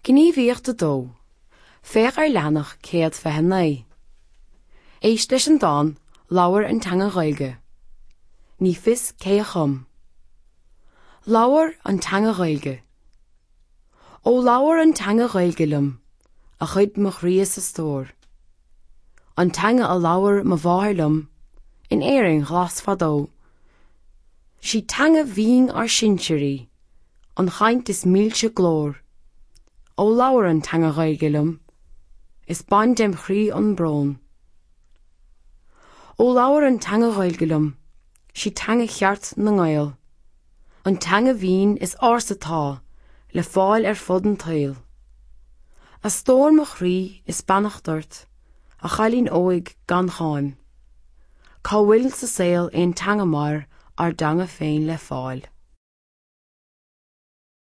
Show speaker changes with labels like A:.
A: Gníomhaíocht 2, Féach ar leathanach 129. Éist leis an dán 'Labhair an Teanga Ghaeilge'. Ní fios cé a chum. Labhair an teanga Ghaeilge. Ó labhair an teanga Ghaeilge liom, a chuid mo chroí is a stór. An teanga a labhair mo mháthair liom in Éirinn ghlas fadó. Sí teanga bhinn ár sinsear í, an chaint is milse glór. Ó labhair an teanga Ghaeilge liom, is bain dem chroí an brón. Ó labhair an teanga Ghaeilge liom, sí teanga cheart na nGael, an teanga bhinn is ársa 'tá le fáil ar fud an tsaoil. A stór mo chroí is beannacht ort, a chailín óig gan cháim. Cá bhfuil sa saol aon teanga mar ár dteanga féin le fáil?